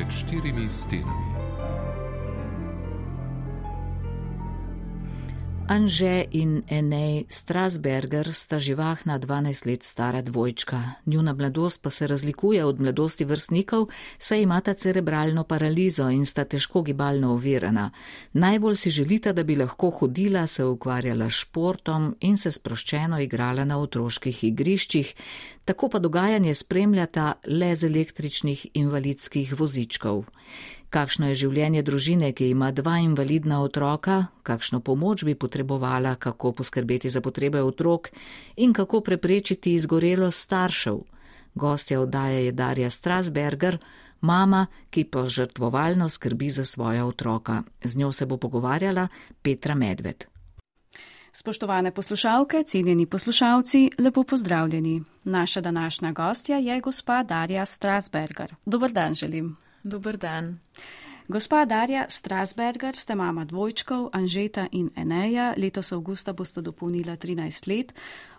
med štirimi stenami. Anže in Enej Strasberger sta živahna 12 let stara dvojčka. Njuna mladost pa se razlikuje od mladosti vrstnikov, saj imata cerebralno paralizo in sta težko gibalno ovirana. Najbolj si želita, da bi lahko hodila, se ukvarjala s športom in se sproščeno igrala na otroških igriščih, tako pa dogajanje spremljata le z električnih invalidskih vozičkov. Kakšno je življenje družine, ki ima 2 invalidna otroka, kakšno pomoč bi potrebovala, kako poskrbeti za potrebe otrok in kako preprečiti izgorelost staršev. Gostja oddaje je Darja Strasberger, mama, ki požrtvovalno skrbi za svoja otroka. Z njo se bo pogovarjala Petra Medved. Spoštovane poslušalke, cenjeni poslušalci, lepo pozdravljeni. Naša današnja gostja je gospa Darja Strasberger. Dober dan želim. Dober dan. Gospa Darja Strasberger, ste mama dvojčkov, Anžeta in Eneja, letos avgusta boste dopolnila 13 let.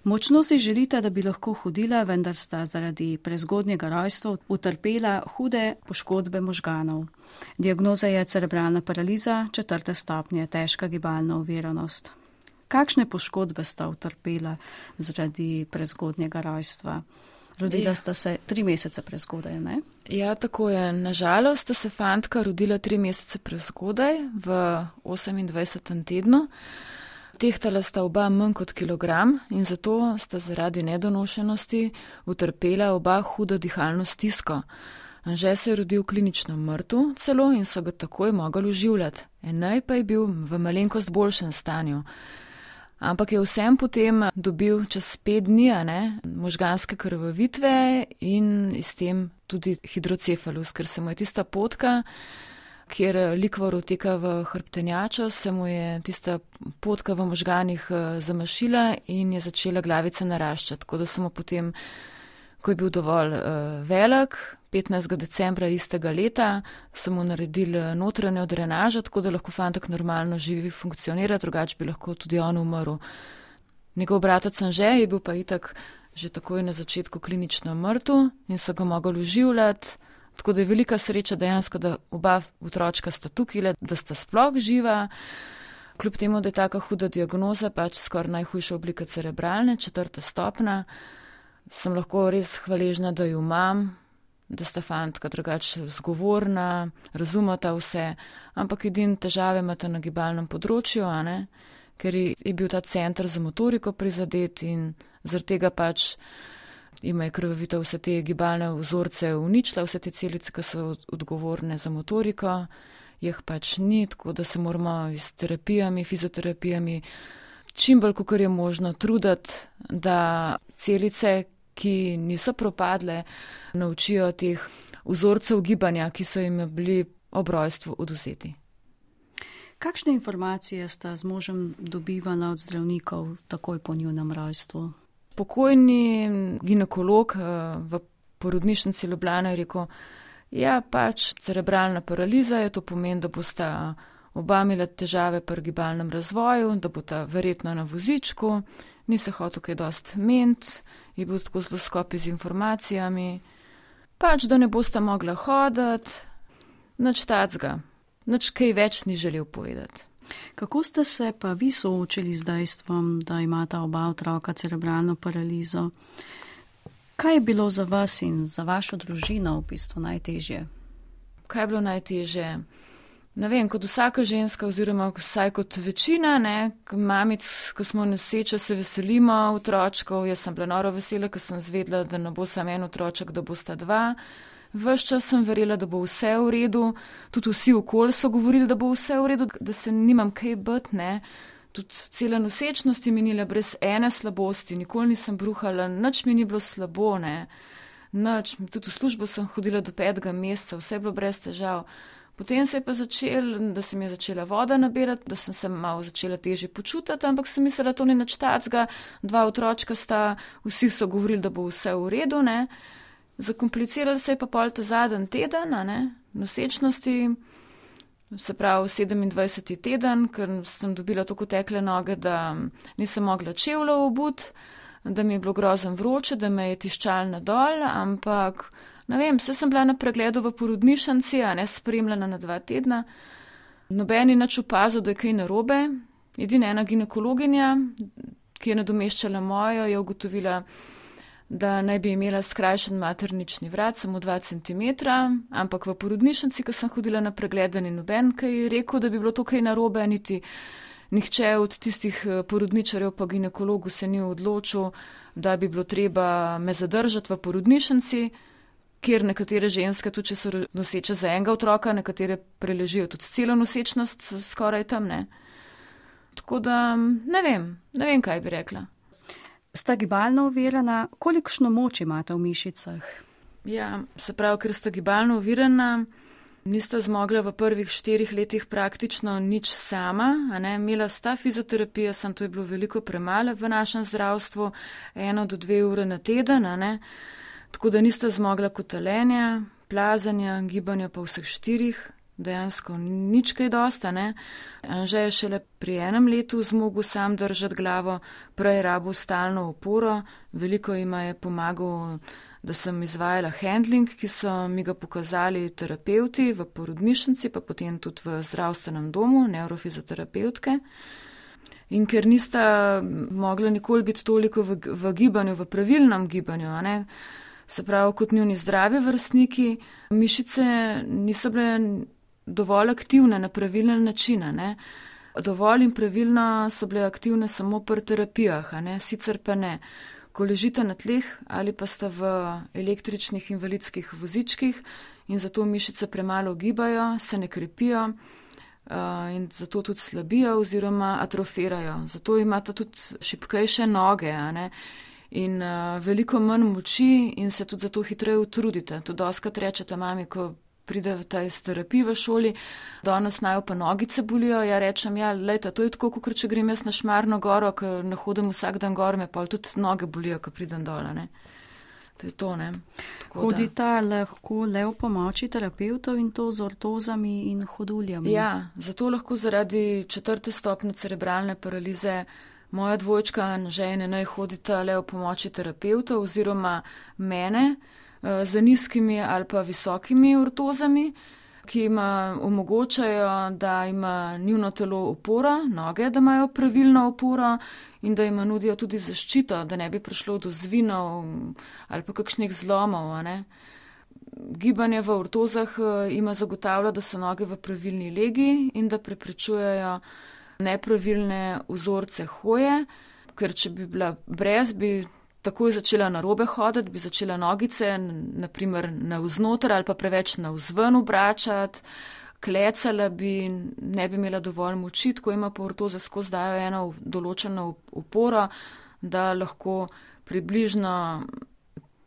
Močno si želite, da bi lahko hodila, vendar sta zaradi prezgodnjega rojstva utrpela hude poškodbe možganov. Diagnoza je cerebralna paraliza, 4. stopnje, težka gibalna oviranost. Kakšne poškodbe sta utrpela zaradi prezgodnjega rojstva? Rodila sta se 3 mesece prezgodaj, ne? Ja, tako je. Nažalost sta se fantka rodila 3 mesece prezgodaj v 28. tednu. Tehtala sta oba manj kot kilogram in zato sta zaradi nedonošenosti utrpela oba hudo dihalno stisko. Anže se je rodil klinično mrtev celo in so ga takoj mogli oživljati. Enej pa je bil v malenkost boljšem stanju. Ampak je vsem potem dobil čez 5 dni možganske krvavitve in s tem tudi hidrocefalus, ker se mu je tista potka, kjer likvor uteka v hrbtenjačo, se mu je tista potka v možganih zamašila in je začela glavica naraščati. Tako da smo potem, ko je bil dovolj velik, 15. decembra istega leta so mu naredili notranjo drenažo, tako da lahko fantek normalno živi, funkcionira, drugače bi lahko tudi on umrl. Njegov bratec Anže je bil pa itak že takoj na začetku klinično mrtev in so ga mogli oživljati, tako da je velika sreča dejansko, da oba otročka sta tukaj, da sta sploh živa. Kljub temu, da je taka huda diagnoza, pač skoraj najhujša oblika cerebralne, 4. stopnja, sem lahko res hvaležna, da jo imam, da sta fantka drugače zgovorna, razumeta vse, ampak edine težave imata na gibalnem področju, ker je bil ta center za motoriko prizadet in zaradi tega pač ima krvavitev vse te gibalne vzorce uničila, vse te celice, ki so odgovorne za motoriko, jih pač ni, tako da se moramo s terapijami, fizioterapijami čim bolj, kakor je možno, truditi, da celice, ki niso propadle, naučijo teh vzorcev gibanja, ki so jim bili ob rojstvu odvzeti. Kakšne informacije sta z možem dobivala od zdravnikov takoj po njunem rojstvu? Pokojni ginekolog v porodnišnici Ljubljana je rekel, ja, pač cerebralna paraliza je, to pomeni, da bosta oba imela težave pri gibalnem razvoju, da bosta verjetno na vozičku, ni se hotel kaj dosti ment, je bil tako zelo skopi z informacijami, pač da ne bosta mogla hoditi, nič tacga, nič kaj več ni želel povedati. Kako ste se pa vi soočili z dejstvom, da imata oba otroka cerebralno paralizo? Kaj je bilo za vas in za vašo družino v bistvu najtežje? Kaj je bilo najtežje? Ne vem, kot vsaka ženska oziroma vsaj kot večina, mamic, ko smo noseče, se veselimo otročkov. Jaz sem bila noro vesela, ker sem zvedela, da ne bo samo en otroček, da bosta 2. Ves čas sem verjela, da bo vse v redu. Tudi vsi okoli so govorili, da bo vse v redu, da se nimam kaj biti, Tudi cela nosečnost je minila brez ene slabosti, nikoli nisem bruhala, nič mi ni bilo slabo, Nič, tudi v službo sem hodila do 5. meseca, vse je bilo brez težav. Potem se je pa da se mi je začela voda nabirati, da sem se malo začela težje počutiti, ampak sem mislila, da to ni nič tacga, 2 otročka sta, vsi so govorili, da bo vse v redu, Zakomplicirali se je pa pol ta zadnji teden, nosečnosti, se pravi 27. teden, ker sem dobila tako tekle noge, da nisem mogla čevljev obuti, da mi je bilo grozno vroče, da me je tiščalo nadol, ampak Ne vem, sem bila na pregledu v porodnišnici, spremljena na 2 tedna. Noben ni nič opazil, da je kaj narobe. Edina ena ginekologinja, ki je nadomeščala mojo, je ugotovila, da naj bi imela skrajšan maternični vrat, samo 2 centimetra, ampak v porodnišnici, ko sem hodila na pregled, ni noben kaj rekel, da bi bilo to kaj narobe, niti nihče od tistih porodničarjev pa ginekologu se ni odločil, da bi bilo treba me zadržati v porodnišnici, kjer nekatere ženske, tudi če so noseče za enega otroka, nekatere preležijo tudi celo nosečnost skoraj tam, ne. Tako da ne vem, kaj bi rekla. Sta gibalno ovirana, kolikšno moč imate v mišicah? Ja, se pravi, ker sta gibalno ovirana, nista zmogla v prvih 4 letih praktično nič sama, imela sta fizioterapijo, samo to je bilo veliko premalo v našem zdravstvu, 1 do 2 ure na teden, tako da nista zmogla kotaljenja, plazanja, gibanja pa vseh 4, dejansko nič kaj dosta, Anže je šele pri 1 letu zmogel sam držati glavo, prej rabil stalno oporo, veliko jima je pomagal, da sem izvajala handling, ki so mi ga pokazali terapeuti v porodnišnici, pa potem tudi v zdravstvenem domu, neurofizioterapevtke. In ker nista mogla nikoli biti toliko v gibanju, v pravilnem gibanju, se pravi kot njuni zdravi vrstniki, mišice niso bile dovolj aktivne na pravilen način, Dovolj in pravilno so bile aktivne samo pri terapijah, sicer pa ne. Ko ležite na tleh ali pa sta v električnih invalidskih vozičkih in zato mišice premalo gibajo, se ne krepijo in zato tudi slabijo oziroma atrofirajo. Zato imate tudi šibkejše noge, in veliko manj moči in se tudi zato hitreje utrudite. Tudi dostikrat rečete mami, ko pridete iz terapije v šoli, danes naj pa nogice bolijo, ja rečem, lejte, to je tako, kot če grem jaz na Šmarno goro, ker ne hodim vsak dan gor, me pa tudi noge bolijo, ko pridem dol, To je to, Hodita lahko le v pomoči terapeutov in to z ortozami in hoduljami? Ja, zato lahko zaradi 4. stopnje cerebralne paralize moja dvojčka Anže in Enej hodita le v pomoči terapeutov oziroma mene, z nizkimi ali pa visokimi ortozami, ki jim omogočajo, da ima njuno telo oporo, noge, da imajo pravilno oporo in da jim nudijo tudi zaščito, da ne bi prišlo do zvinov ali pa kakšnih zlomov. Gibanje v ortozah ima zagotavlja, da so noge v pravilni legi in da preprečujejo nepravilne vzorce hoje, ker če bi bila brez, bi takoj začela narobe hoditi, bi začela nogice, naprimer navznoter ali pa preveč navzven obračati, klecala bi, ne bi imela dovolj moči, tako ima pa ortoze skozi dajo eno določeno oporo, da lahko približno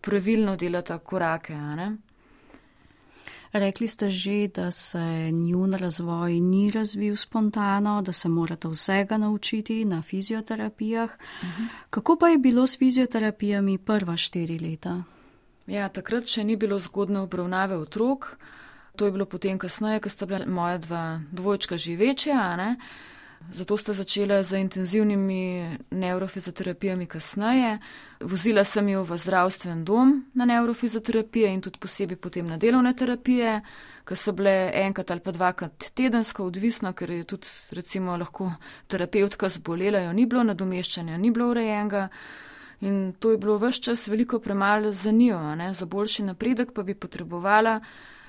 pravilno delata korake, Rekli ste že, da se njun razvoj ni razvil spontano, da se morate vsega naučiti na fizioterapijah. Kako pa je bilo s fizioterapijami prva 4 leta? Ja, takrat še ni bilo zgodne obravnave otrok. To je bilo potem kasneje, ko sta bila moja 2 dvojčka že večja, Zato sta začela z intenzivnimi neurofizioterapijami kasneje. Vozila sem jo v zdravstven dom na neurofizioterapijo in tudi posebej potem na delovne terapije, ki so bile 1 ali pa 2 tedensko, odvisno, ker je tudi recimo lahko terapeutka zbolela, jo ni bilo, nadomeščanja ni bilo urejenega. In to je bilo ves čas veliko premalo za njo, za boljši napredek pa bi potrebovala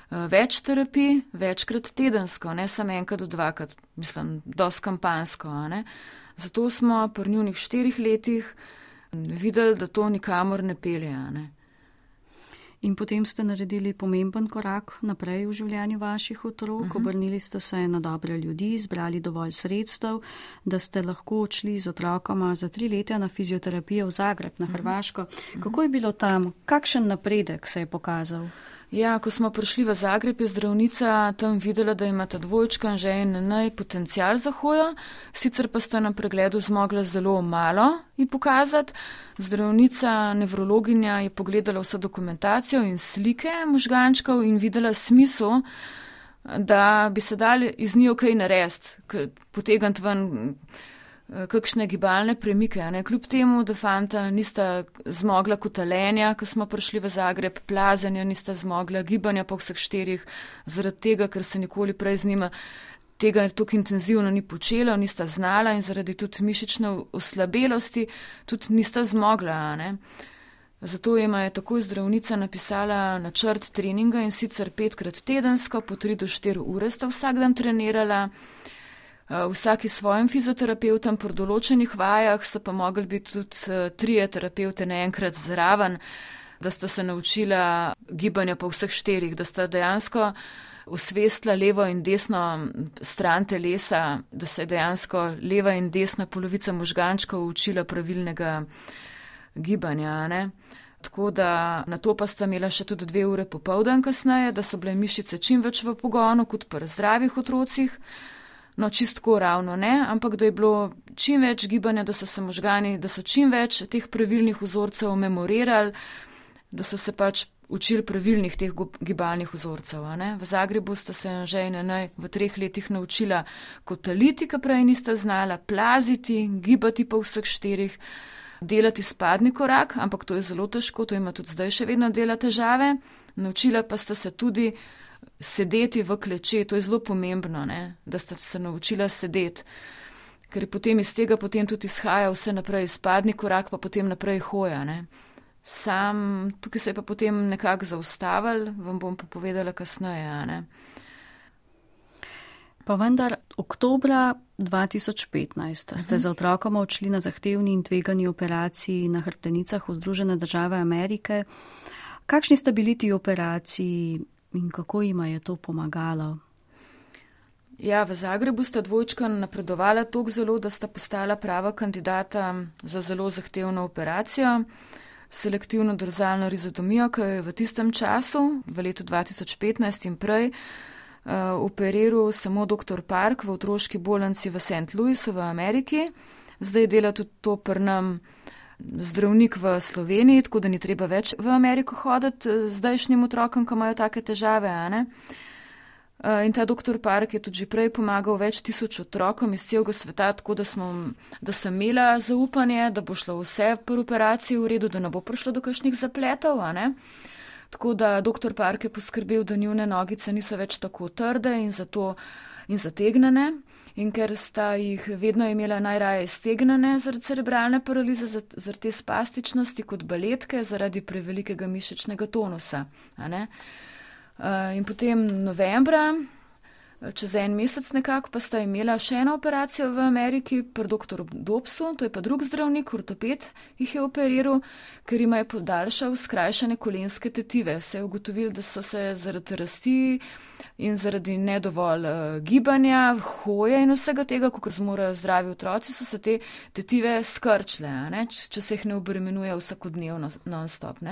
več terapij, večkrat tedensko, ne samo 1 do 2, mislim, dosti kampansko. Zato smo pri njunih 4 letih videli, da to nikamor ne pelje. In potem ste naredili pomemben korak naprej v življenju vaših otrok, obrnili ste se na dobre ljudi, zbrali dovolj sredstev, da ste lahko odšli z otrokoma za 3 leta na fizioterapijo v Zagreb, na Hrvaško. Kako je bilo tam? Kakšen napredek se je pokazal? Ja, ko smo prišli v Zagreb, je zdravnica tam videla, da imata dvojčka Anže in Enej potencial za hojo, sicer pa sta na pregledu zmogla zelo malo ji pokazati. Zdravnica, nevrologinja je pogledala vso dokumentacijo in slike možgančkov in videla smisel, da bi se dali iz njo kaj narediti, potegniti ven kakšne gibalne premike. Ne? Kljub temu, da fanta nista zmogla kotalenja, ko smo prišli v Zagreb, plazenja nista zmogla, gibanja po vseh 4, zaradi tega, ker se nikoli prej z njima tega tako intenzivno ni počela, nista znala in zaradi tudi mišične oslabelosti tudi nista zmogla. Ne? Zato jima je takoj zdravnica napisala načrt treninga in sicer 5krat tedensko, po 3 do 4 ure sta vsak dan trenirala, vsaki svojim fizioterapeutom po določenih vajah so pa mogli biti tudi 3 terapevte naenkrat zraven, da sta se naučila gibanja po vseh 4, da sta dejansko osvestila levo in desno stran telesa, da se je dejansko leva in desna polovica možgančkov učila pravilnega gibanja. Ne? Tako da na to pa sta imela še tudi 2 ure popoldan kasneje, da so bile mišice čim več v pogonu kot pri zdravih otrocih. No, čistko ravno ne, ampak da je bilo čim več gibanja, da so se možgani, da so čim več teh pravilnih vzorcev memorirali, da so se pač učili pravilnih teh gibalnih vzorcev. Ne? V Zagrebu sta se Anže in Enej v 3 letih naučila kotaliti, ki prej nista znala, plaziti, gibati po vseh 4, delati spadni korak, ampak to je zelo težko, to ima tudi zdaj še vedno dela težave. Naučila pa sta se tudi sedeti v kleče, to je zelo pomembno, ne? Da sta se naučila sedeti, ker je potem iz tega potem tudi izhaja vse naprej, spadni korak pa potem naprej hoja. Ne? Tukaj se je pa potem nekako zaustavil, vam bom pa povedala kasneje. Ne? Pa vendar, oktobra 2015 ste za otrokoma odšli na zahtevni in tvegani operaciji na hrbtenicah v Združene države Amerike. Kakšni sta bili ti operaciji in kako jima je to pomagalo? Ja, v Zagrebu sta dvojčka napredovala toliko zelo, da sta postala prava kandidata za zelo zahtevno operacijo, selektivno dorzalno rizotomijo, ki je v tistem času, v letu 2015 in prej, operiral samo dr. Park v otroški bolnici v St. Louisu v Ameriki. Zdaj dela tudi to pri nam zdravnik v Sloveniji, tako da ni treba več v Ameriko hoditi zdajšnjim otrokom, ki imajo take težave. In ta dr. Park je tudi že prej pomagal več tisoč otrokom iz celega sveta, tako da sem imela zaupanje, da bo šlo vse pri operaciji v redu, da ne bo prišlo do kakšnih zapletov. Tako da dr. Park je poskrbel, da njune nogice niso več tako trde in zategnjene. In ker sta jih vedno imela najraje stegnjene zaradi cerebralne paralize, zaradi te spastičnosti kot baletke, zaradi prevelikega mišičnega tonusa. In potem novembra, čez 1 mesec nekako, pa sta imela še eno operacijo v Ameriki pri dr. Dobsu, to je pa drug zdravnik, ortoped, jih je operiral, ker jima je podaljšal skrajšane kolenske tetive. Se je ugotovil, da so se zaradi rasti in zaradi nedovolj gibanja, hoje in vsega tega, kot zmorajo zdravi otroci, so se te tetive skrčile, če se jih ne obremenuje vsakodnevno non-stop.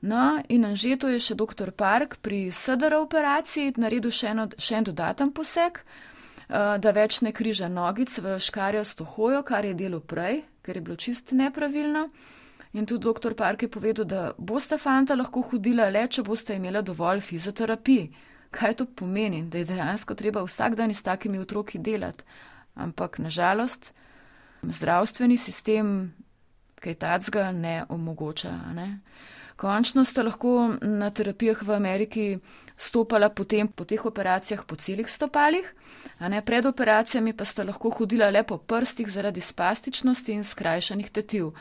No, in Anžetu je še dr. Park pri SDR operaciji naredil še en dodaten poseg, da več ne križa nogic v škarjasto hojo, kar je delo prej, ker je bilo čist nepravilno. In tudi dr. Park je povedal, da bosta fanta lahko hodila le, če bosta imela dovolj fizioterapij. Kaj to pomeni? Da je dejansko treba vsak dan s takimi otroki delati. Ampak nažalost zdravstveni sistem kaj tacga ne omogoča. Končno sta lahko na terapijah v Ameriki stopala potem po teh operacijah po celih stopalih, pred operacijami pa sta lahko hodila le po prstih zaradi spastičnosti in skrajšanih tetiv.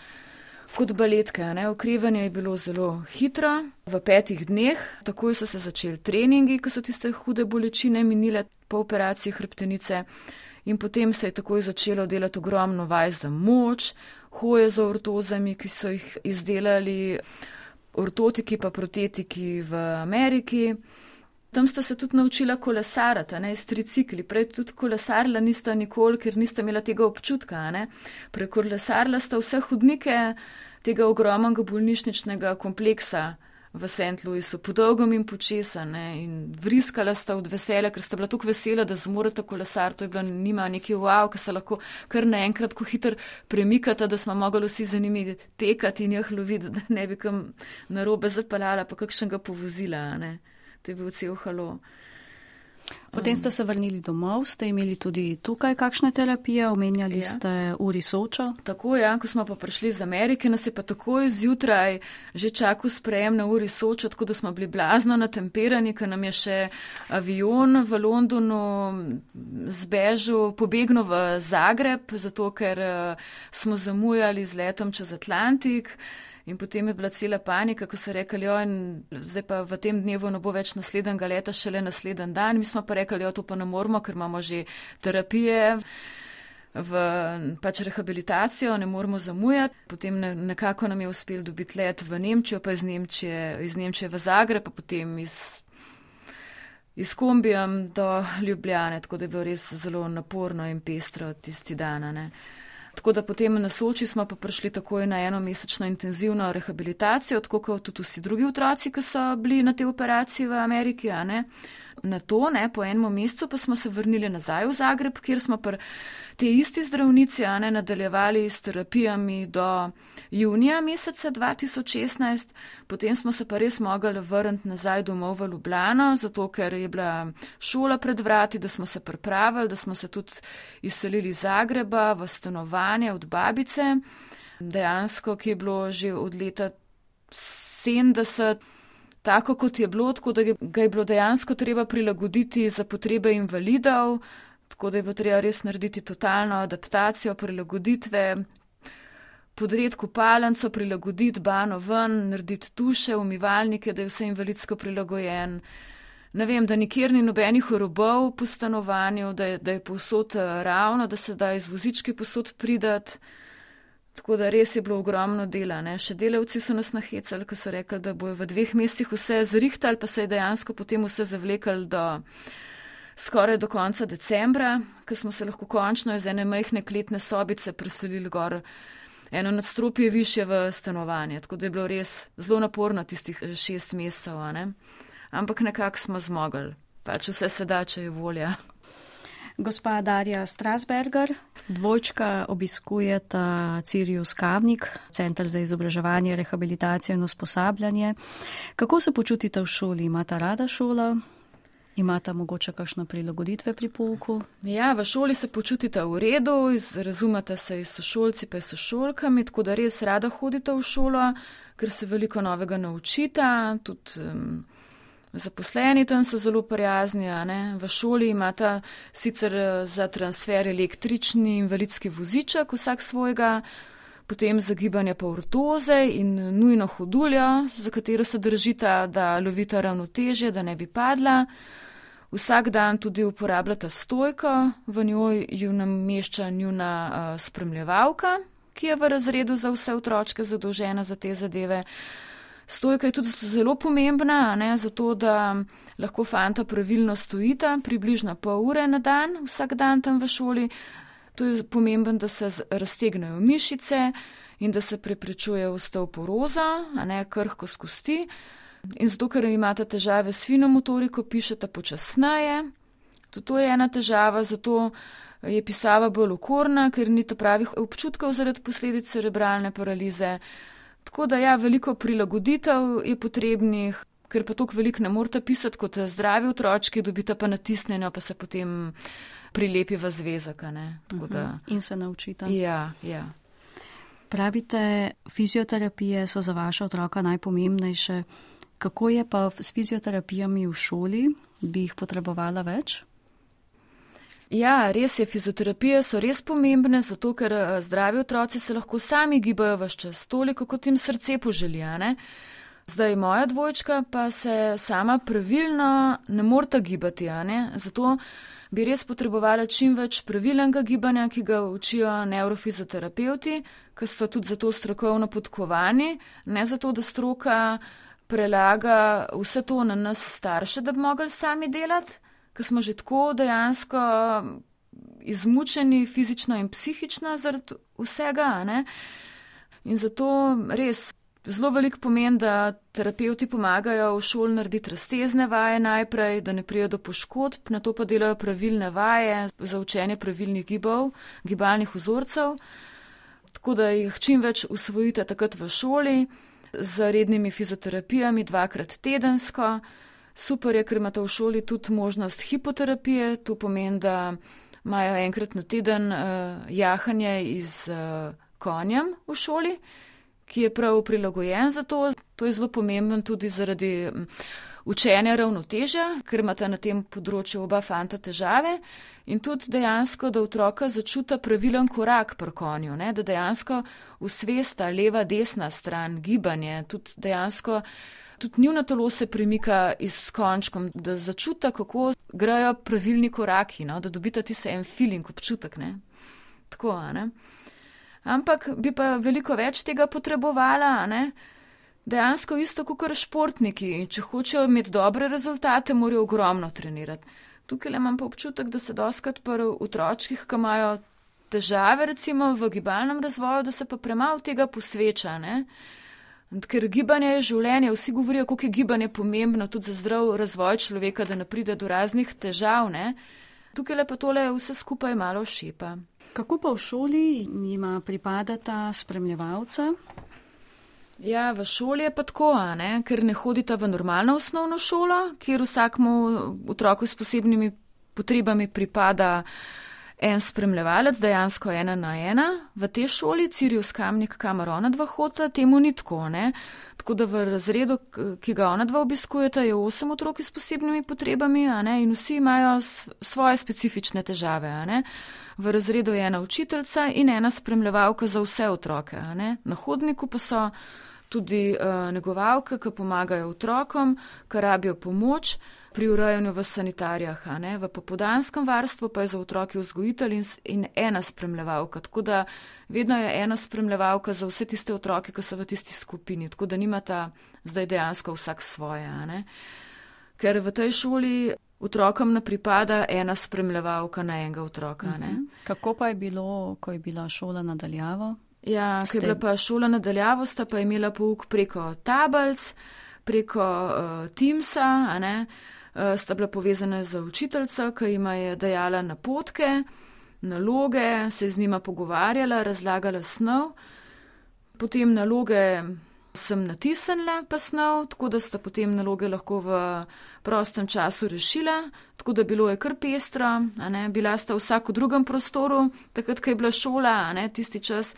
Kot baletke, okrevanje je bilo zelo hitro, v 5 dneh, takoj so se začeli treningi, ko so tiste hude bolečine minile po operaciji hrbtenice in potem se je takoj začelo delati ogromno vaj za moč, hoje za ortozami, ki so jih izdelali ortotiki pa protetiki v Ameriki. Tam sta se tudi naučila kolesarati, s tricikli. Prej tudi kolesarila nista nikoli, ker nista imela tega občutka. Prekolesarila sta vse hodnike tega ogromnega bolnišničnega kompleksa v St. Louisu, podolgom in počesa. In vriskala sta od veselja, ker sta bila tako vesela, da zmoreta kolesar. To je bila njima neki wow, ki se lahko kar naenkrat ko hitro premikata, da smo mogli vsi za njimi tekati in jih loviti, da ne bi kam narobe zapeljala, pa kakšnega povozila. To je bil cel halo. Potem ste se vrnili domov, ste imeli tudi tukaj kakšne terapije, omenjali ste Uri Sočo. Tako, ja, ko smo pa prišli iz Amerike, nas je pa takoj zjutraj že čakal sprejem na Uri Sočo, tako da smo bili blazno natemperani, ker nam je še avion v Londonu pobegnil v Zagreb, zato ker smo zamujali z letom čez Atlantik. In potem je bila cela panika, ko so rekli, zdaj pa v tem dnevu ne bo več naslednjega leta, šele naslednji dan. Mi smo pa rekli, to pa ne moramo, ker imamo že terapije v rehabilitacijo, ne moramo zamujati. Potem nekako nam je uspel dobiti let v Nemčijo, pa iz Nemčije v Zagreb, pa potem iz kombijem do Ljubljane, tako da je bilo res zelo naporno in pestro tisti dan, ne. Tako da potem na Soči smo pa prišli takoj na enomesečno intenzivno rehabilitacijo, tako kot tudi vsi drugi otroci, ki so bili na tej operaciji v Ameriki, ne. Na to, ne, po enem mesecu pa smo se vrnili nazaj v Zagreb, kjer smo pa te isti zdravnici, ne, nadaljevali s terapijami do junija meseca 2016. Potem smo se pa res mogli vrniti nazaj domov v Ljubljano, zato ker je bila šola pred vrati, da smo se pripravili, da smo se tudi izselili iz Zagreba v stanovanje od babice, dejansko, ki je bilo že od leta 70 tako, kot je bilo, tako da ga je bilo dejansko treba prilagoditi za potrebe invalidov, tako da je bilo treba res narediti totalno adaptacijo, prilagoditve, podreti kopalnico, prilagoditi bano ven, narediti tuše, umivalnike, da je vse invalidsko prilagojen. Ne vem, da nikjer ni nobenih robov po stanovanju, da je povsod ravno, da se da iz vozički povsod pridati. Tako da res je bilo ogromno dela, ne. Še delavci so nas nahecali, ko so rekli, da bojo v 2 mesecih vse zrihtali, pa se je dejansko potem vse zavlekali skoraj do konca decembra, ko smo se lahko končno iz ene majhne kletne sobice preselili gor eno nadstropje višje v stanovanje. Tako da je bilo res zelo naporno tistih 6 mesecev, ne. Ampak nekako smo zmogli. Pač vse se da, če je volja. Gospa Darja Strasberger, dvojčka obiskujeta Sirius Kamnik, Center za izobraževanje, rehabilitacijo in usposabljanje. Kako se počutite v šoli? Imata rada šolo? Imata mogoče kakšne prilagoditve pri pouku? Ja, v šoli se počutite v redu, razumete se s sošolci pa s sošolkami, tako da res rada hodite v šolo, ker se veliko novega naučita, tudi zaposleni tam so zelo prijazni, ne. V šoli imata sicer za transfer električni invalidski voziček, vsak svojega, potem za gibanje pa ortoze in nujno hoduljo, za katero se držita, da lovita ravnotežje, da ne bi padla. Vsak dan tudi uporabljata stojko, v njoj ju namešča njuna spremljevalka, ki je v razredu za vse otročke zadolžena za te zadeve. Stojka je tudi zelo pomembna, ne, zato da lahko fanta pravilno stojita, približno pol ure na dan, vsak dan tam v šoli. To je pomembno, da se raztegnejo mišice in da se preprečuje osteoporoza, a ne krhkost kosti. In zato, ker imate težave s fino motoriko, pišete počasneje. Tudi to je ena težava, zato je pisava bolj okorna, ker ni pravih občutkov zaradi posledic cerebralne paralize. Tako da ja, veliko prilagoditev je potrebnih, ker pa toliko veliko ne morete pisati kot zdravi otročki, dobite pa natisnjeno, pa se potem prilepi v zvezek. Tako da... In se naučite. Ja, ja. Pravite, fizioterapije so za vaša otroka najpomembnejše. Kako je pa s fizioterapijami v šoli? Bi jih potrebovala več? Ja, res je, fizioterapije so res pomembne, zato ker zdravi otroci se lahko sami gibajo ves čas, toliko kot jim srce poželi, ne. Zdaj moja dvojčka pa se sama pravilno ne moreta gibati, ne. Zato bi res potrebovala čim več pravilnega gibanja, ki ga učijo nevrofizioterapevti, ki so tudi zato strokovno podkovani, ne zato, da stroka prelaga vse to na nas starše, da bi mogli sami delati. Ker smo že tako dejansko izmučeni fizično in psihično zaradi vsega, ne. In zato res zelo veliko pomeni, da terapevti pomagajo v šoli narediti raztezne vaje najprej, da ne pride do poškodb, nato pa delajo pravilne vaje za učenje pravilnih gibov, gibalnih vzorcev, tako da jih čim več usvojite takrat v šoli z rednimi fizioterapijami 2-krat tedensko. Super je, ker imate v šoli tudi možnost hipoterapije, to pomeni, da imajo enkrat na teden jahanje z konjem v šoli, ki je prav prilagojen za to. To je zelo pomemben tudi zaradi učenja ravnotežja, ker imate na tem področju oba fanta težave in tudi dejansko, da otroka začuta pravilen korak pri konju, ne? Da dejansko usvesta leva, desna stran, gibanje, tudi dejansko tudi njuno telo se premika s končkom, da začuta, kako grejo pravilni koraki, no? Da dobita ti se en feeling, občutek, ne? Tako, ne? Ampak bi pa veliko več tega potrebovala, ne? Dejansko isto kot športniki, če hočejo imeti dobre rezultate, morajo ogromno trenirati. Tukaj imam pa občutek, da se dostikrat pri otročkih, ki imajo težave recimo v gibalnem razvoju, da se pa premalo tega posveča, ne? Ker gibanje je življenje, vsi govorijo, koliko je gibanje pomembno tudi za zdrav razvoj človeka, da ne pride do raznih težav, ne? Tukaj pa tole vse skupaj malo šepa. Kako pa v šoli jima pripadata spremljevalca? Ja, v šoli je pa tako, ne? Ker ne hodita v normalno osnovno šolo, kjer vsakmu otroku s posebnimi potrebami pripada en spremljevalec, dejansko 1 na 1. V tej šoli, Sirius Kamnik, kamor ona dva hodita, temu ni tako, ne? Tako da v razredu, ki ga ona dva obiskujeta, je 8 otrok s posebnimi potrebami, ne? In vsi imajo svoje specifične težave, ne? V razredu je 1 učiteljica in 1 spremljevalka za vse otroke, ne? Na hodniku pa so tudi negovalke, ki pomagajo otrokom, ki rabijo pomoč pri urejanju v sanitarijah, ne? V popoldanskem varstvu pa je za otroke vzgojitelj in 1 spremljevalka, tako da vedno je 1 spremljevalka za vse tiste otroke, ki so v tisti skupini, tako da nimata zdaj dejansko vsak svoje, ne? Ker v tej šoli otrokom ne pripada 1 spremljevalka na 1 otroka, ne? Kako pa je bilo, ko je bila šola nadaljavo? Ja, ko je bila pa šola nadaljavo, sta pa imela pouk preko tablic, preko Teamsa, a ne, sta bila povezana z učiteljico, ki jima je dajala napotke, naloge, se z njima pogovarjala, razlagala snov. Potem naloge sem natisnila pa snov, tako da sta potem naloge lahko v prostem času rešila, tako da bilo je kar pestro, a ne, bila sta vsak v drugem prostoru, takrat, ko je bila šola, a ne, tisti čas,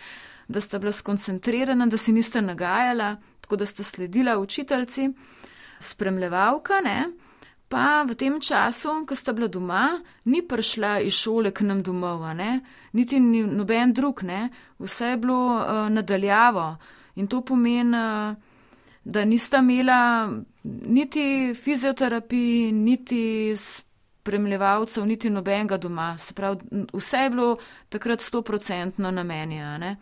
da sta bila skoncentrirana, da si nista nagajala, tako da sta sledila učiteljici, spremljevalka, ne, pa v tem času, ko sta bila doma, ni prišla iz šole k nam domov, a ne, niti noben drug, ne, vse je bilo nadaljavo in to pomeni, da nista imela niti fizioterapiji, niti spremljevalcev, niti nobenega doma, se pravi, vse je bilo takrat 100% na meni, a ne.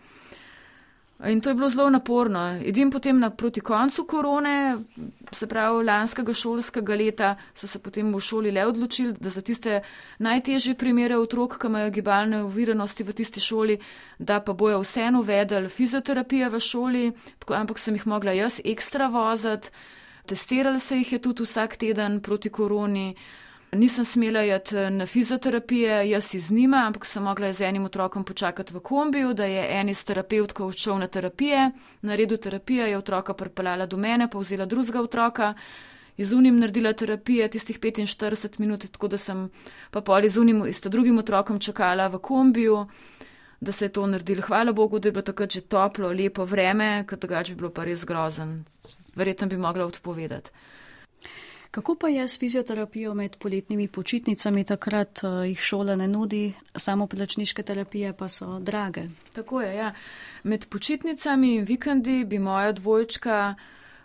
In to je bilo zelo naporno. Edin potem proti koncu korone, se pravi lanskega šolskega leta, so se potem v šoli le odločili, da za tiste najtežje primere otrok, ki imajo gibalne oviranosti v tisti šoli, da pa bojo vseeno uvedli fizioterapijo v šoli, tako, ampak sem jih mogla jaz ekstra voziti, testirali se jih je tudi vsak teden proti koroni. Nisem smela jeti na fizioterapije, jaz iz njima, ampak sem mogla z enim otrokom počakati v kombiju, da je en iz terapevtka odšel na terapije. Na redu terapije je otroka pripeljala do mene, pa vzela drugega otroka, iz unim naredila terapije tistih 45 minut, tako da sem pa pol iz unim, iz drugim otrokom čakala v kombiju, da se je to naredilo. Hvala Bogu, da je bilo takrat že toplo, lepo vreme, ker drugače bi bilo pa res grozen. Verjetno bi mogla odpovedati. Kako pa je s fizioterapijo med poletnimi počitnicami, takrat jih šola ne nudi, samoplačniške terapije pa so drage? Tako je, ja. Med počitnicami in vikendi bi moja dvojčka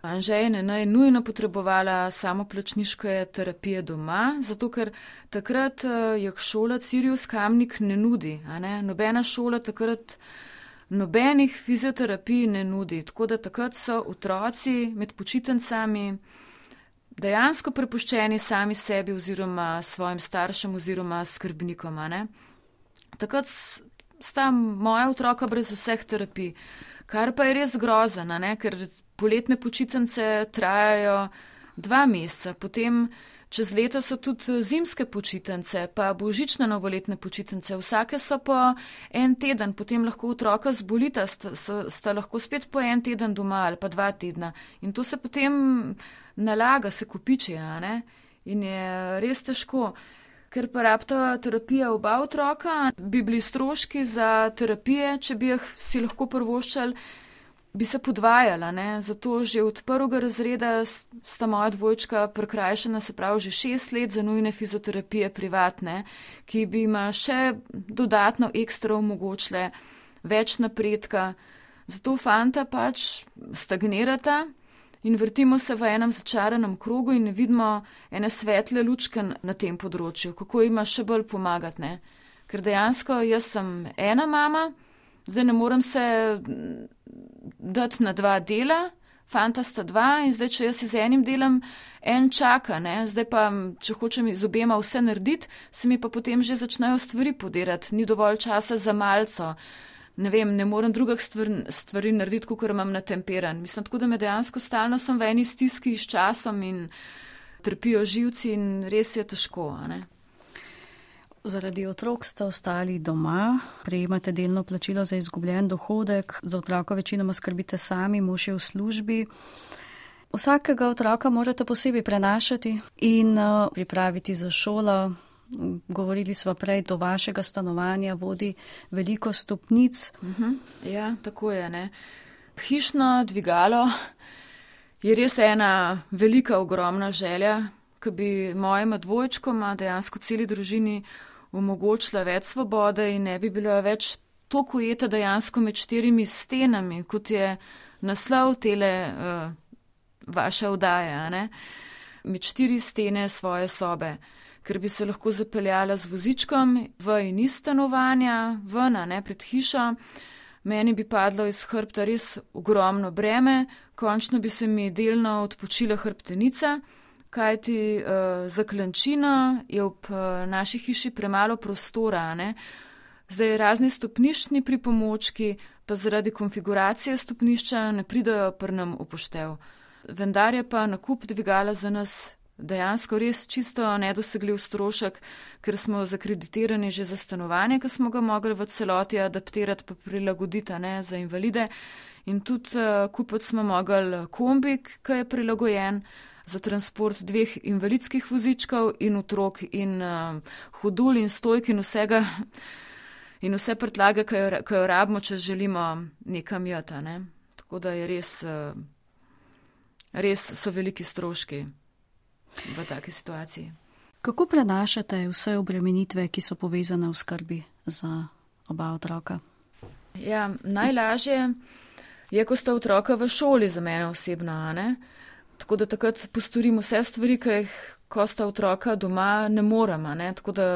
Anžej Nenaj nujno potrebovala samoplačniške terapije doma, zato ker takrat jih šola Sirius Kamnik ne nudi, a ne? Nobena šola takrat nobenih fizioterapij ne nudi, tako da takrat so otroci med počitnicami dejansko prepuščeni sami sebi oziroma svojim staršem oziroma skrbnikom. Ne? Takrat sta moja otroka brez vseh terapij, kar pa je res grozno, ker poletne počitnice trajajo 2 meseca, potem čez leto so tudi zimske počitnice, pa božične novoletne počitnice, vsake so po 1 teden, potem lahko otroka zbolita, sta lahko spet po 1 teden doma ali pa 2 tedna in to se potem nalaga, se kopiči, ne? In je res težko. Ker pa rabita terapija oba otroka, bi bili stroški za terapije, če bi jih si lahko privoščali, bi se podvajala, ne? Zato že od 1. razreda sta moja dvojčka prikrajšana, se pravi že 6 let za nujne fizioterapije privatne, ki bi ima še dodatno ekstra omogočile več napredka. Zato fanta pač stagnirata in vrtimo se v enem začaranem krogu in ne vidimo ene svetle lučke na tem področju, kako ima še bolj pomagati, ne? Ker dejansko jaz sem ena mama, zdaj ne morem se dati na 2 dela, fanta sta 2 in zdaj, če jaz z enim delam, en čaka, ne? Zdaj pa, če hočem z obema vse narediti, se mi pa potem že začnejo stvari podirati, ni dovolj časa za malco. Ne vem, ne morem drugih stvari narediti, kakor imam natemperan. Mislim, tako da me dejansko stalno sem v eni stiski s časom in trpijo živci in res je težko, ne? Zaradi otrok ste ostali doma, prejemate delno plačilo za izgubljen dohodek, za otroka večinoma skrbite sami, mož je v službi. Vsakega otroka morate posebej prenašati in pripraviti za šolo. Govorili sva prej, do vašega stanovanja vodi veliko stopnic. Ja, tako je, ne. Hišno dvigalo je res ena velika, ogromna želja, ki bi mojima dvojčkoma, dejansko celi družini, omogočila več svobode in ne bi bila več toliko ujeta dejansko med 4 stenami, kot je naslov tele vaše oddaje, ne. Med 4 stene svoje sobe. Ker bi se lahko zapeljala z vozičkom v in iz stanovanja, ven, ne, pred hišo. Meni bi padlo iz hrbta res ogromno breme, končno bi se mi delno odpočila hrbtenica, kajti za klančino je ob naši hiši premalo prostora, ne. Zdaj razni stopniščni pripomočki, pa zaradi konfiguracije stopnišča ne pridajo pri nam upoštev. Vendar je pa nakup dvigala za nas dejansko res čisto nedosegljiv strošek, ker smo zakreditirani že za stanovanje, ki smo ga mogli v celoti adaptirati pa prilagoditi, ne, za invalide. In tudi kupiti smo mogli kombik, ki je prilagojen za transport 2 invalidskih vozičkov in otrok in hodul in stojk in vsega in vse prtlage, ki jo rabimo, če želimo nekam jeti, ne. Tako da je res so veliki stroški v taki situaciji. Kako prenašate vse obremenitve, ki so povezane v skrbi za oba otroka? Ja, najlažje je, ko sta otroka v šoli za mene osebno, ne? Tako da takrat postorim vse stvari, ki jih, ko sta otroka doma, ne morem, ne? Tako da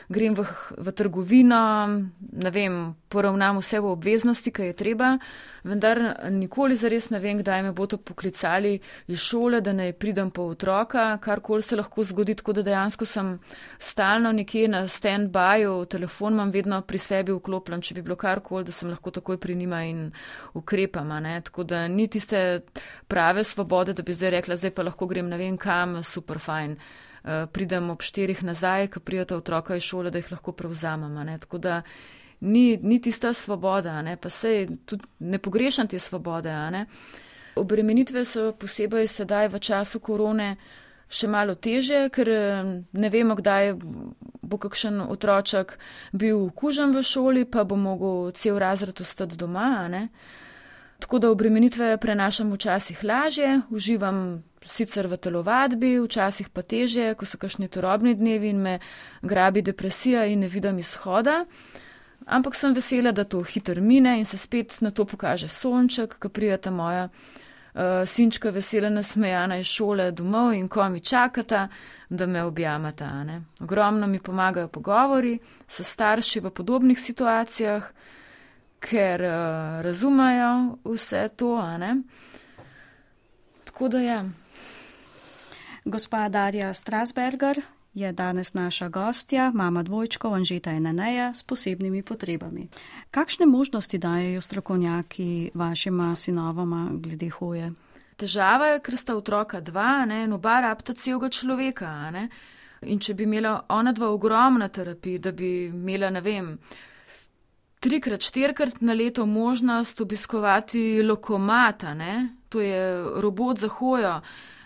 grem v trgovino, ne vem, poravnam vse v obveznosti, ki je treba, vendar nikoli zares ne vem, kdaj me bodo poklicali iz šole, da naj pridem po otroka, karkoli se lahko zgodi, tako da dejansko sem stalno nekje na stand-byju, telefon imam vedno pri sebi vklopljen, če bi bilo karkoli, da sem lahko takoj pri njima in ukrepam, ne? Tako da ni tiste prave svobode, da bi zdaj rekla, zdaj pa lahko grem ne vem kam, super fajn. Pridem ob 4 nazaj, ko prijeta otroka iz šole, da jih lahko prevzamem, ne? Tako da ni tista svoboda, ne? Pa sej tudi ne pogrešam te svobode, ne? Obremenitve so posebej sedaj v času korone še malo težje, ker ne vemo, kdaj bo kakšen otroček bil okužen v šoli, pa bo mogel cel razred ostati doma, ne? Tako da obremenitve prenašam včasih lažje, uživam sicer v telovadbi, včasih pa težje, ko so kakšni turobni dnevi in me grabi depresija in ne vidim izhoda. Ampak sem vesela, da to hitro mine in se spet na to pokaže sonček, ko prijeta moja sinčka vesela nasmejana iz šole domov in ko mi čakata, da me objamata, ne. Ogromno mi pomagajo pogovori s starši v podobnih situacijah, ker razumejo vse to, ne. Tako da ja. Gospa Darja Strasberger je danes naša gostja, mama dvojčkov Anžeta in Aneja s posebnimi potrebami. Kakšne možnosti dajejo strokovnjaki vašima sinovoma glede hoje? težava je, ker sta otroka dva, ne, in oba rabta celega človeka. Ne. In če bi imela ona dva ogromna terapija, da bi imela, ne vem, 3-krat, 4-krat na leto možnost obiskovati Lokomata, ne, to je robot za hojo,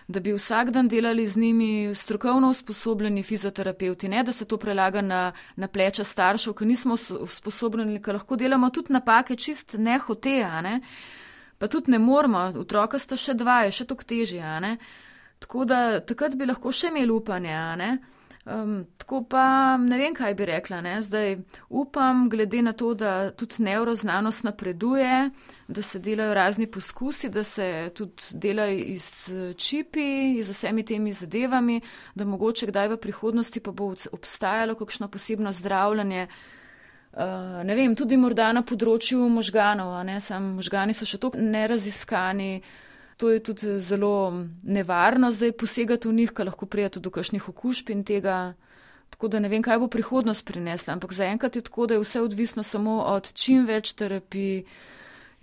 da bi vsak dan delali z njimi strokovno usposobljeni fizioterapeuti, ne, da se to prelaga na pleča staršev, ki nismo usposobljeni, ki lahko delamo tudi napake čist nehote, ne, pa tudi ne moramo, otroka sta še dva, je še toliko težje, ne, tako da takrat bi lahko še imeli upanje, ne. Tako pa ne vem, kaj bi rekla, ne. Zdaj upam, glede na to, da tudi nevroznanost napreduje, da se delajo razni poskusi, da se tudi delajo z čipi, z vsemi temi zadevami, da mogoče kdaj v prihodnosti pa bo obstajalo kakšno posebno zdravljanje, ne vem, tudi morda na področju možganov, ne, sam možgani so še toliko neraziskani. To je tudi zelo nevarno zdaj posegati v njih, ker lahko prija tudi do kakšnih okužb in tega. Tako da ne vem, kaj bo prihodnost prinesla, ampak zaenkrat je tako, da je vse odvisno samo od čim več terapij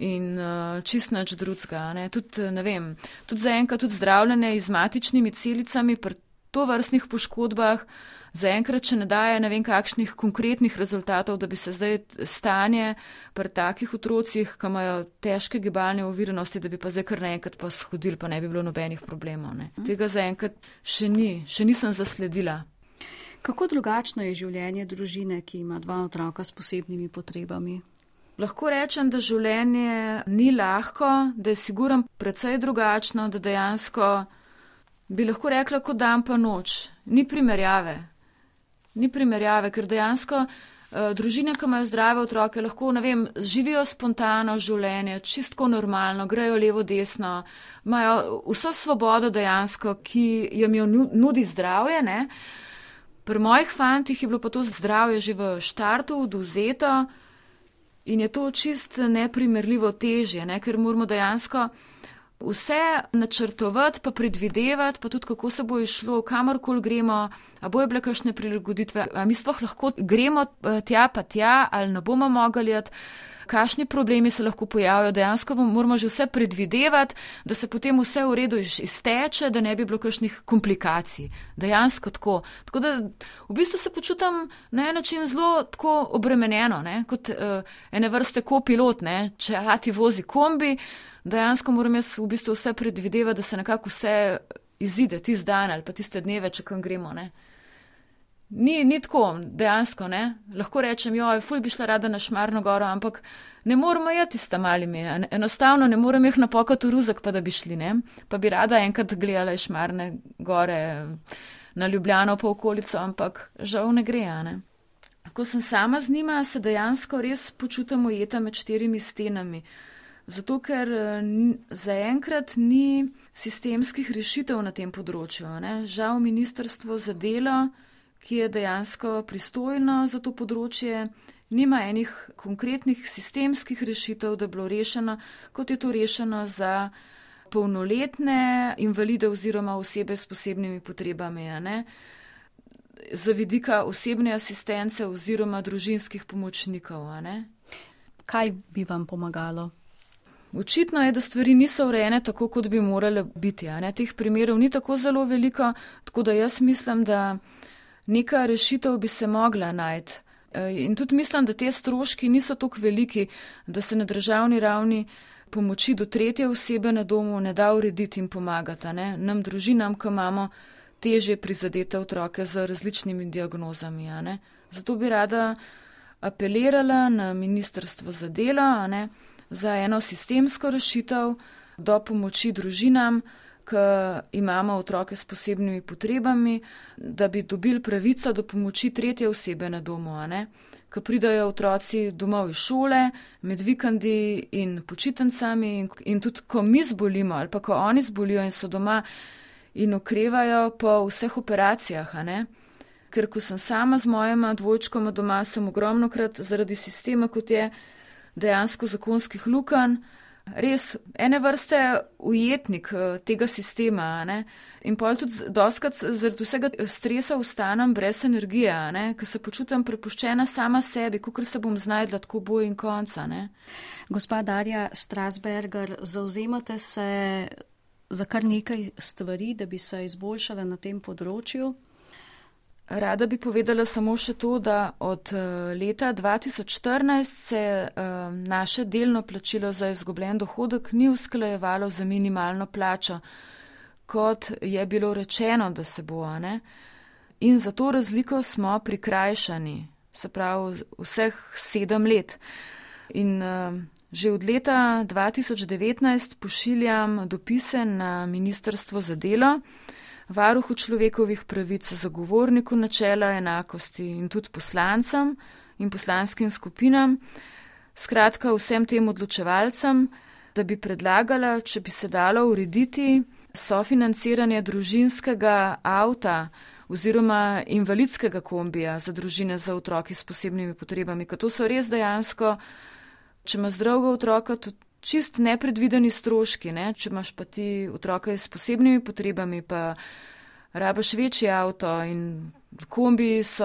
in čist nič drugega. Tudi, ne vem, tudi zaenkrat tudi zdravljenje z matičnimi celicami pri tovrstnih poškodbah zaenkrat še ne daje ne vem kakšnih konkretnih rezultatov, da bi se zdaj stanje pri takih otrocih, ki imajo težke gibalne oviranosti, da bi pa zdaj kar naenkrat pa shodili, pa ne bi bilo nobenih problemov. Ne. Tega zaenkrat še nisem zasledila. Kako drugačno je življenje družine, ki ima dva otroka s posebnimi potrebami? Lahko rečem, da življenje ni lahko, da je sigurno precej drugačno, da dejansko bi lahko rekla kot dan pa noč. Ni primerjave, ker dejansko družine, ki imajo zdrave otroke, lahko, ne vem, živijo spontano življenje, čistko normalno, grejo levo, desno, imajo vso svobodo dejansko, ki jim jo nudi zdravje, ne. Pri mojih fantih je bilo pa to zdravje že v štartu odvzeto in je to čist neprimerljivo težje, ne, ker moramo dejansko vse načrtovati, pa predvidevati, pa tudi kako se bo išlo, kamorkoli gremo, a bojo bile kakšne prilagoditve, a mi sploh lahko gremo tja pa tja, ali ne bomo mogli jeti, kakšni problemi se lahko pojavijo, dejansko moramo že vse predvidevati, da se potem vse v redu izteče, da ne bi bilo kakšnih komplikacij. Dejansko tako. Tako da v bistvu se počutam na en način zelo tako obremenjeno, ne, kot ene vrste kopilot, ne, če ati vozi kombi, dejansko moram jaz v bistvu vse predvidevati, da se nekako vse izide tisti dan ali pa tiste dneve, če kam gremo, ne. Ni tako, dejansko, ne. Lahko rečem, ful bi šla rada na Šmarno goro, ampak ne moramo jeti s tam malimi. Enostavno ne morem jih napokati v ruzak, pa da bi šli, ne. Pa bi rada enkrat gledala iz Šmarne gore na Ljubljano pa okolico, ampak žal ne gre, ne. Ko sem sama z njima, se dejansko res počutim ujeta med 4 stenami. Zato, ker zaenkrat ni sistemskih rešitev na tem področju, ne. Žal ministrstvo za delo, ki je dejansko pristojno za to področje, nima enih konkretnih sistemskih rešitev, da je bilo rešeno, kot je to rešeno za polnoletne invalide oziroma osebe s posebnimi potrebami, ne. Za vidika osebne asistence oziroma družinskih pomočnikov. Ne. Kaj bi vam pomagalo? Očitno je, da stvari niso urejene tako, kot bi morale biti. Ne. Teh primerov ni tako zelo veliko, tako da jaz mislim, da neka rešitev bi se mogla najti. In tudi mislim, da te stroški niso tako veliki, da se na državni ravni pomoči do 3. osebe na domu ne da urediti in pomagati. Ne. Nam družinam, ki imamo težje prizadete otroke z različnimi diagnozami. Ne. Zato bi rada apelirala na ministrstvo za delo, ne, za eno sistemsko rešitev do pomoči družinam, ki imamo otroke s posebnimi potrebami, da bi dobili pravico do pomoči 3. osebe na domu, ki pridajo otroci domov iz šole, med vikendi in počitnicami in tudi, ko mi zbolimo ali pa ko oni zbolijo in so doma in okrevajo po vseh operacijah, ker ko sem sama z mojima dvojčkoma doma, sem ogromnokrat zaradi sistema, kot je dejansko zakonskih lukenj, res ene vrste ujetnik tega sistema, in pol tudi dostkrat zaradi vsega stresa ostanem brez energije, ker se počutim prepuščena sama sebi, kakor se bom znajdla tako boj in konca. Gospa Darja Strasberger, zavzemate se za kar nekaj stvari, da bi se izboljšala na tem področju. Rada bi povedala samo še to, da od leta 2014 se naše delno plačilo za izgubljen dohodek ni usklajevalo za minimalno plačo, kot je bilo rečeno, da se bo, ne? In za to razliko smo prikrajšani, se pravi vseh 7 let. In že od leta 2019 pošiljam dopise na Ministrstvo za delo, Varuhu človekovih pravic, zagovorniku načela enakosti in tudi poslancem in poslanskim skupinam, skratka vsem tem odločevalcem, da bi predlagala, če bi se dalo urediti sofinanciranje družinskega avta oziroma invalidskega kombija za družine za otroki s posebnimi potrebami, ker to so res dejansko, če ima zdravega otroka, tudi čist nepredvideni stroški, ne? Če imaš pa ti otroka s posebnimi potrebami, pa rabaš večji avto in kombi so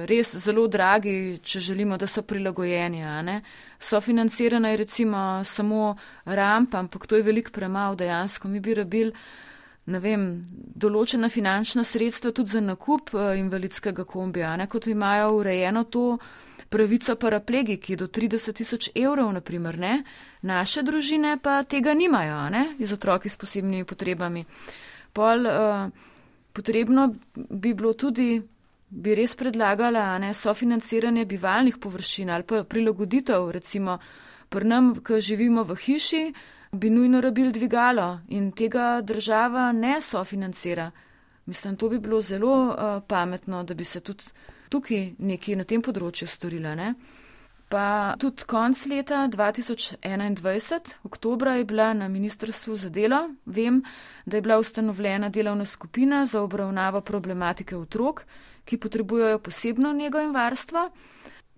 res zelo dragi, če želimo, da so prilagojeni. Sofinancirana je recimo samo rampa, ampak to je veliko premalo dejansko. Mi bi rabili, ne vem, določena finančna sredstva tudi za nakup invalidskega kombija, kot imajo urejeno to pravico paraplegiki do 30 000 evrov, naprimer, ne? Naše družine pa tega nimajo, ne? Iz otroki s posebnimi potrebami. Potrebno bi bilo tudi, bi res predlagala, ne, sofinanciranje bivalnih površin ali pa prilagoditev, recimo, pri nam, ko živimo v hiši, bi nujno rabili dvigalo in tega država ne sofinancira. Mislim, to bi bilo zelo pametno, da bi se tudi tukaj nekaj na tem področju storila, ne. Pa tudi konc leta 2021, oktobra, je bila na Ministrstvu za delo, vem, da je bila ustanovljena delovna skupina za obravnavo problematike otrok, ki potrebujejo posebno nego in varstvo.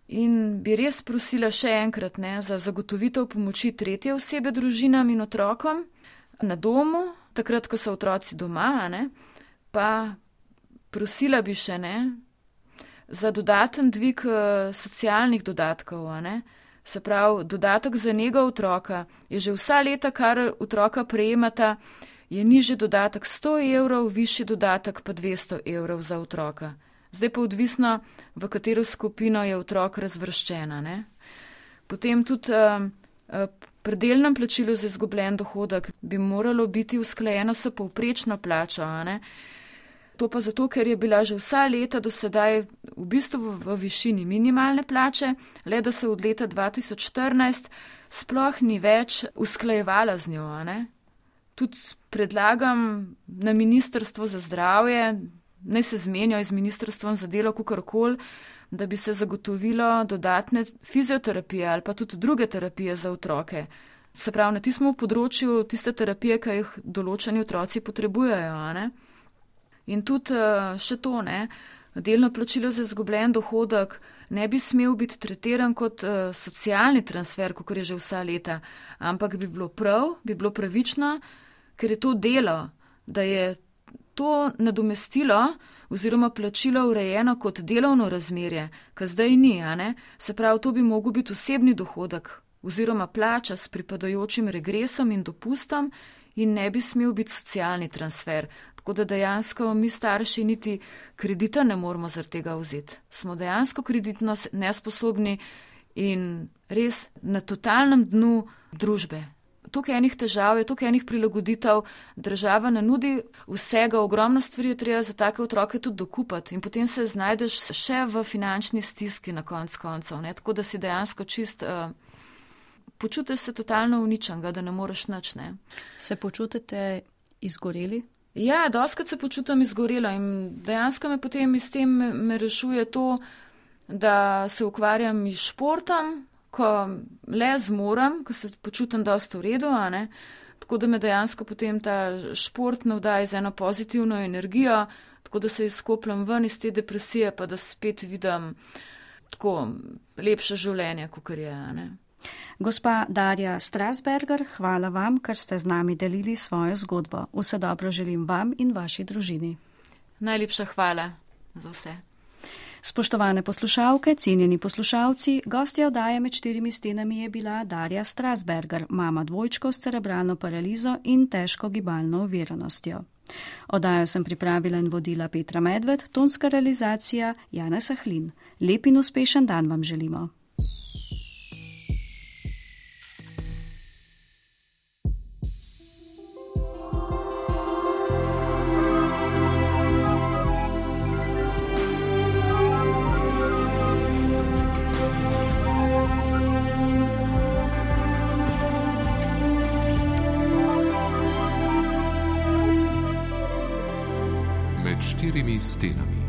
In bi res prosila še enkrat, ne, za zagotovitev pomoči tretje osebe družinam in otrokom na domu, takrat, ko so otroci doma, ne, pa prosila bi še, ne, za dodaten dvig socialnih dodatkov, ne? Se pravi, dodatek za nego otroka je že vsa leta, kar otroka prejemata, je nižji dodatek 100 evrov, višji dodatek pa 200 evrov za otroka. Zdaj pa odvisno, v katero skupino je otrok razvrščena, ne? Potem tudi pri delnem plačilu za izgubljen dohodek bi moralo biti usklajeno s povprečno plačo, ne? To pa zato, ker je bila že vsa leta do sedaj v bistvu v višini minimalne plače, le da se od leta 2014 sploh ni več usklajevala z njo, ne? Tudi predlagam na Ministrstvo za zdravje, naj se zmenijo z Ministrstvom za delo kakorkoli, da bi se zagotovilo dodatne fizioterapije ali pa tudi druge terapije za otroke. Se pravi, na tistem področju tiste terapije, ki jih določeni otroci potrebujejo, ne? In tudi še to, ne, delno plačilo za izgubljen dohodek ne bi smel biti tretiran kot socialni transfer, kot je že vsa leta, ampak bi bilo prav, bi bilo pravično, ker je to delo, da je to nadomestilo oziroma plačilo urejeno kot delovno razmerje, kar zdaj ni, ne? Se pravi, to bi mogel biti osebni dohodek oziroma plača s pripadajočim regresom in dopustom in ne bi smel biti socialni transfer. Tako da dejansko mi starši niti kredita ne moramo zaradi tega vzeti. Smo dejansko kreditno nesposobni in res na totalnem dnu družbe. Tukaj enih težav je, tukaj enih prilagoditev, država ne nudi vsega, ogromno stvari je treba za take otroke tudi dokupati in potem se znajdeš še v finančni stiski na konc koncev, ne? Tako da si dejansko čist, počutiš se totalno uničenega, da ne moreš nič, ne. Se počutite izgoreli? Ja, dostikrat se počutim izgorela in dejansko me potem iz tem me rešuje to, da se ukvarjam s športom, ko le zmorem, ko se počutim dosti v redu, a ne. Tako da me dejansko potem ta šport navdaja z eno pozitivno energijo, tako da se izkopljam ven iz te depresije, pa da spet vidim tako lepše življenje, kakor je, a ne. Gospa Darja Strasberger, hvala vam, ker ste z nami delili svojo zgodbo. Vse dobro želim vam in vaši družini. Najlepša hvala za vse. Spoštovane poslušalke, cenjeni poslušalci, gostja oddaje Med štirimi stenami je bila Darja Strasberger, mama dvojčkov s cerebralno paralizo in težko gibalno oviranostjo. Oddajo sem pripravila in vodila Petra Medved, tonska realizacija Janez Ahlin. Lep in uspešen dan vam želimo. Med štirimi stenami.